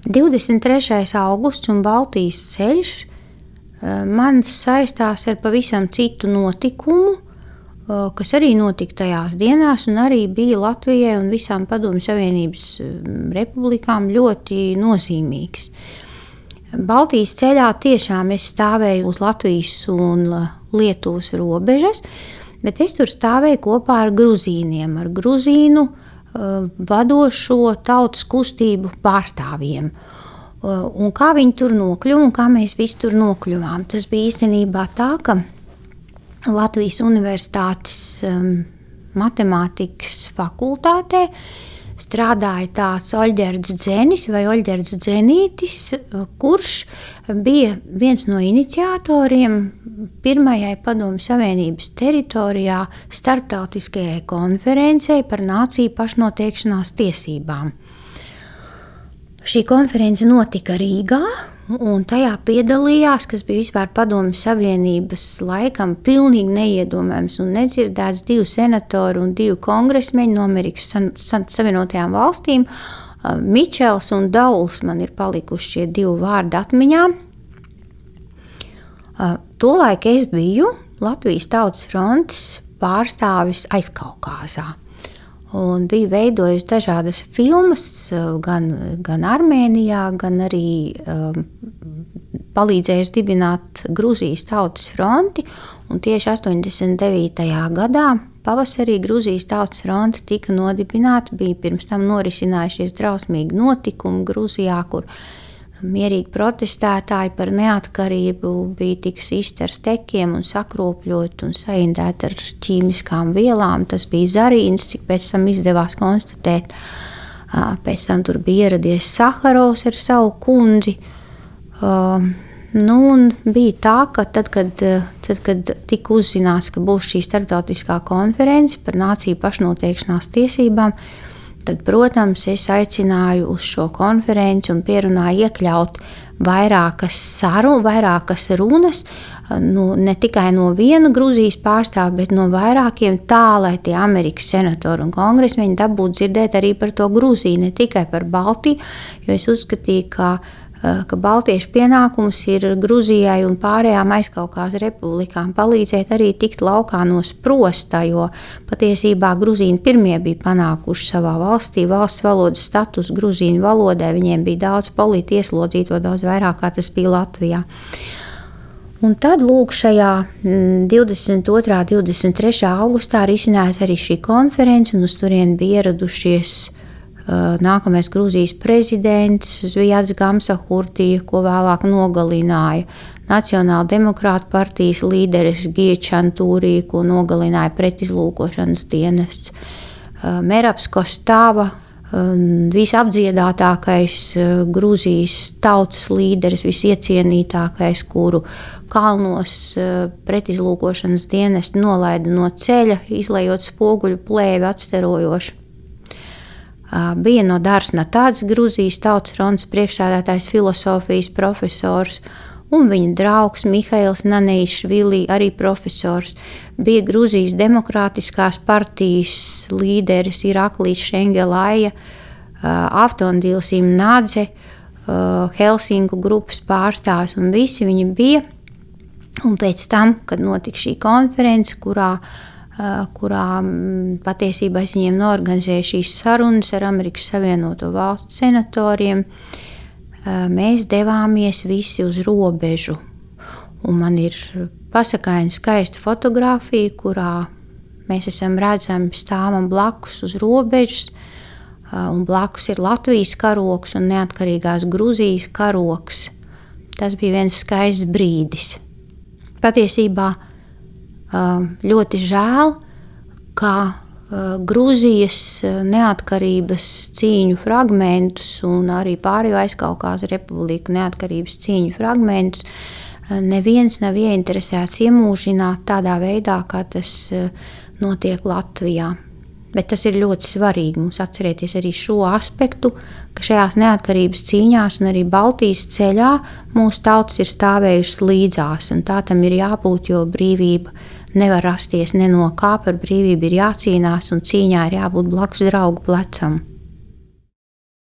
23. augusts un Baltijas ceļš man saistās ar pavisam citu notikumu, kas arī notika tajās dienās un arī bija Latvijai un visām Padomju Savienības republikām ļoti nozīmīgs. Baltijas ceļā tiešām es stāvēju uz Latvijas un Lietuvas robežas, bet es tur stāvēju kopā ar gruzīniem, ar gruzīnu vadošo tautas kustību pārstāvjiem. Un kā viņi tur nokļuva un kā mēs visi tur nokļuvām. Tas bija īstenībā tā, ka Latvijas Universitātes matemātikas fakultātē strādāja tāds Oļģerds Dzenis vai Oļģerds Dzenītis, kurš bija viens no iniciatoriem pirmajai Padomju Savienības teritorijā starptautiskajai konferencei par nāciju pašnoteikšanās tiesībām. Šī konference notika Rīgā, un tajā piedalījās, kas bija vispār Padomju Savienības laikam pilnīgi neiedomājams un nedzirdēts, 2 senatori un 2 kongresmeņi no Amerikas Savienotajām valstīm. Mičels un Dauls man ir palikuši šie 2 vārdi atmiņā. Tolaik es biju Latvijas Tautas frontes pārstāvis Aizkaukāzā. Un biju veidojusi dažādas filmas, gan Armēnijā, gan arī palīdzējusi dibināt Gruzijas Tautas fronti. Un tieši 89. gadā pavasarī Gruzijas Tautas fronte tika nodibināta. Bija pirms tam norisinājušies drausmīgi notikumi Gruzijā, kur mierīgi protestētāji par neatkarību bija tik sisti ar stekiem un sakropļot un saindēti ar ķīmiskām vielām. Tas bija zarīns, cik pēc tam izdevās konstatēt. Pēc tam tur bija ieradies Saharovs ar savu kundzi. Un bija tā, ka tad, kad tika uzzināts, ka būs šī starptautiskā konference par nāciju pašnoteikšanās tiesībām, tad, protams, es aicināju uz šo konferenci un pierunāju iekļaut vairākas runas, ne tikai no viena Gruzijas pārstāvja, bet no vairākiem, tā, lai tie Amerikas senatori un kongresmeņi dabūtu dzirdēt arī par to Gruziju, ne tikai par Baltiju, jo es uzskatīju, ka baltiešu pienākums ir Gruzijai un pārējām Aizkaukāzes republikām palīdzēt arī tikt laukā no sprosta, jo patiesībā gruzīni pirmie bija panākuši savā valstī valsts valodas status gruzīnu valodai. Viņiem bija daudz politi ieslodzīto, daudz vairāk kā tas bija Latvijā. Un tad lūk šajā 22. 23. augustā risinājās arī šī konference, un uz turieni bija ieradušies nākamais Gruzijas prezidents Zvijads Gamsahurtija, ko vēlāk nogalināja Nacionāla demokrāta partijas līderis Giečantūrī, ko nogalināja pretizlūkošanas dienests. Merabs Kostava, visapdziedātākais Gruzijas tautas līderis, visiecienītākais, kuru kalnos pretizlūkošanas dienesti nolaida no ceļa, izlejot spoguļu plēvi atsterojoši. Bija no Dārsna tāds Gruzijas Tautas frontes priekšsēdētājs, filosofijas profesors, un viņa draugs Mihails Naneišvili, arī profesors. Bija Gruzijas demokrātiskās partijas līderis Iraklīs Šengelaja, Avtondils Imnadze, Helsinku grupas pārstāvs, un visi viņi bija. Un pēc tam, kad notika šī konference, kurā patiesībā es viņiem norganizēju šīs sarunas ar Amerikas Savienoto Valstu senatoriem, mēs devāmies visi uz robežu. Un man ir pasakaina skaista fotografija, kurā mēs esam redzami stāvam blakus uz robežas, un blakus ir Latvijas karogs un neatkarīgās Gruzijas karogs. Tas bija viens skaists brīdis. Patiesībā ļoti žēl, ka Gruzijas neatkarības cīņu fragmentus un arī pārējo Aizkaukāzes republiku neatkarības cīņu fragmentus neviens nav ieinteresēts iemūžināt tādā veidā, kā tas notiek Latvijā. Bet tas ir ļoti svarīgi mums atcerēties arī šo aspektu, ka šajās neatkarības cīņās un arī Baltijas ceļā mūsu tautas ir stāvējušas līdzās, un tā tam ir jābūt, jo brīvība nevar rasties ne no kā, par brīvību ir jācīnās, un cīņā ir jābūt blakus draugu plecam.